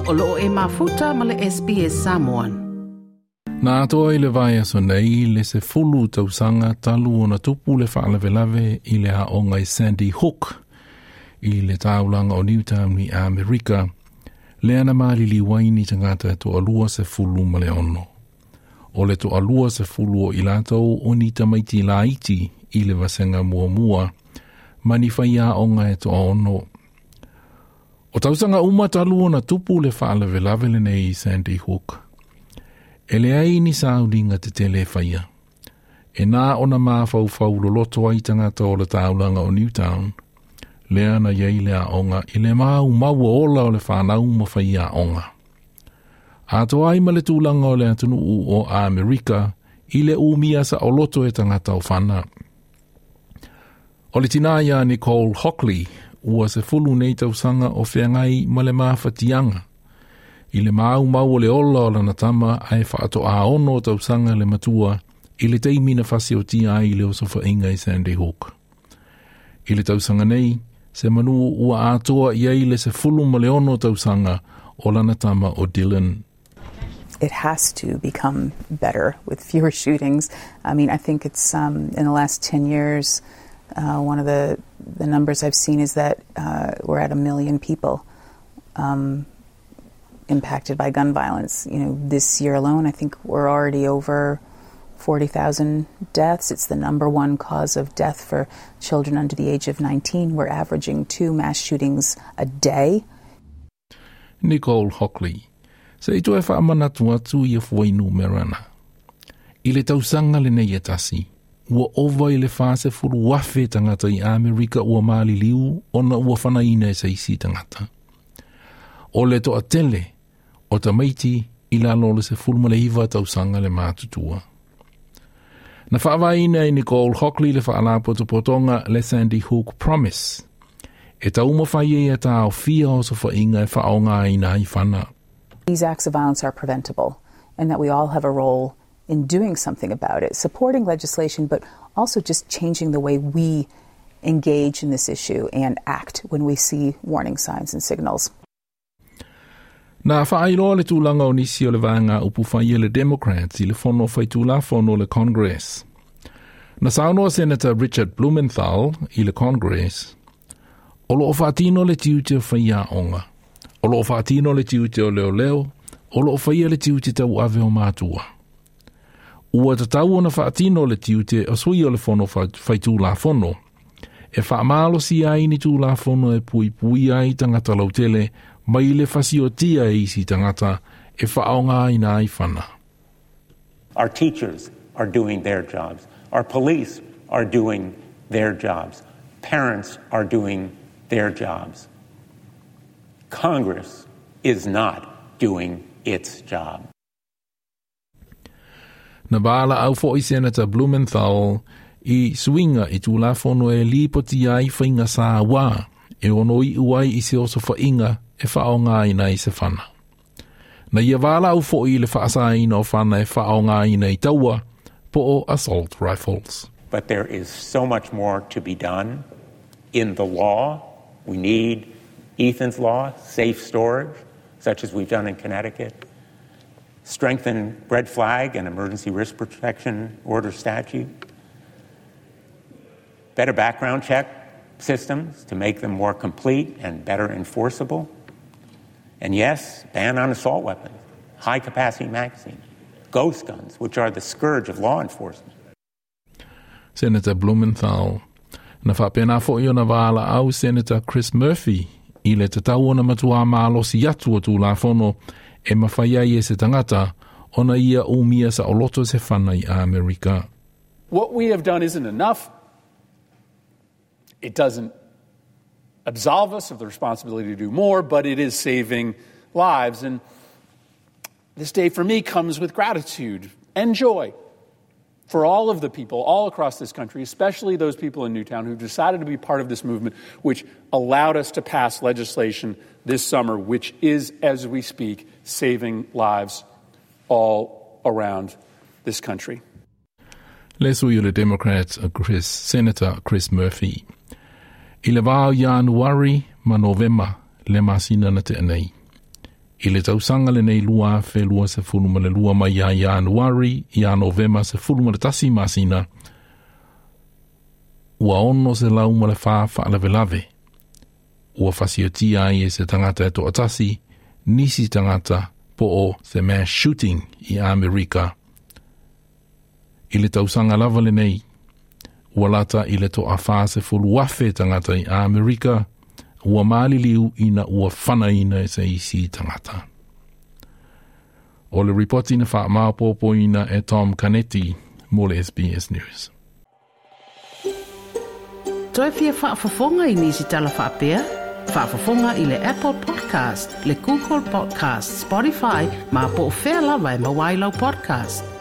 O loo e mafuta ma le SBS Samoan. Na atoa i le vaiaso nei le 10 tausaga talu ona tupu le faalavelave i le aoga i Sandy Hook i le taulaga o Newtown i Amerika, lea na maliliu ai ni tagata e 26. O le 20 o i latou o ni tamaiti laiti i le vasega muamua, ma ni faiaoga e 6. O tausaga uma talu ona tupu le faalavelave lenei i Sandy Hook. E leai ni sauniga tetele e faia. E na ona mafaufau loloto ai tagata o le taulaga o Newtown, lea na iai le aoga i le maumau ola o le fanau ma faiaoga. Atoa ai ma le tulaga o le atunuu o Amerika i le umia saoloto e tagata o fana. O le tina ia Nicole Hockley, ua 10 nei tausaga o feagai ma le mafatiaga. I le maumau o le ola o lana tama ae faatoa 6 tausaga le matua i le taimi na fasiotia ai le osofaiga i Sandy Hook. I le tausaga nei, se manu ua atoa i ai le 16 tausaga o lana tama o Dylan. It has to become better with fewer shootings. I mean, I think it's in the last 10 years, one of the numbers I've seen is that we're at 1 million people impacted by gun violence. You know, this year alone, I think we're already over 40,000 deaths. It's the number one cause of death for children under the age of 19. We're averaging 2 mass shootings a day. Nicole Hockley. Se i toe whaamanatu atu i a fuainumera. I le tausaga lenei e tasi, ua ova i le 40,000 tagata i Amerika ua maliliu ona ua fanaina e se isi tagata. O le toatele o tamaiti i lalo o le 19 tausaga le matutua. Na faavaina e Nicole Hockley le faalapotopotoga le Sandy Hook Promise. E taumafai ai e taofia osofaiga e faaaogaina ai fana. These acts of violence are preventable, and that we all have a role in doing something about it, supporting legislation, but also just changing the way we engage in this issue and act when we see warning signs and signals. Na faailoa le tulaga o nisi o le vaega upufai le Democrats i le fono faitulafono le Congress. Na saunoa Senator Richard Blumenthal i le Congress, o loo faatino le tiute o faiaoga, o loo faatino le tiute o leoleo, o loo faia le tiute tauave o matua. Ua tatau ona faatino le tiute o sui o le fono faitulafono, e faamalosia ai ni tulafono e puipuia ai tagata lautele mai le fasiotia e isi tagata e faaaogaina ai fana. Our teachers are doing their jobs. Our police are doing their jobs. Parents are doing their jobs. Congress is not doing its job. Na valaau foi Senator Blumenthal i suiga i tulafono e lipoti ai faiga sauā e ono iu ai i se osofaiga e faaaogaina i se fana. Na ia valaau foi i le faasaina o fana e faaaogaina i taua po o assault rifles. But there is so much more to be done in the law. We need Ethan's Law, safe storage, such as we've done in Connecticut, strengthen red flag and emergency risk protection order statute, better background check systems to make them more complete and better enforceable, and yes, ban on assault weapons, high-capacity magazines, ghost guns, which are the scourge of law enforcement. Senator Blumenthal. Na faapena foi ona valaau Senator Chris Murphy i le tatau ona matua malosi atu o tulafono e mafai ai e se tagata ona ia umia saoloto se fana i Amerika. What we have done isn't enough. It doesn't absolve us of the responsibility to do more, but it is saving lives. And this day for me comes with gratitude and joy for all of the people all across this country, especially those people in Newtown who decided to be part of this movement, which allowed us to pass legislation this summer, which is, as we speak, saving lives all around this country. Le sui o le Democrats, Senator Chris Murphy. I le vā o Ianuari ma Novema le masina na tea nei. I le tausaga lenei 2022 mai ia Ianuari ia Novema 11 masina, ua 604 faalavelave ua fasiotia ai e se tagata e toatasi nisi tagata po o se mass shooting i Amerika. I le tausaga lava lenei, ua lata i le 40,000 tagata i Amerika ua maliliu ina ua fanaina e se isi tagata. O le ripoti na faamaopoopoina e Tom Canetti mo le SBS News. Toe fia faafofoga i nisi tala faapea? Faafofoga i le Apple Podcast, le Google Podcast, Spotify, ma po o fea lava e maua ai lau podcast.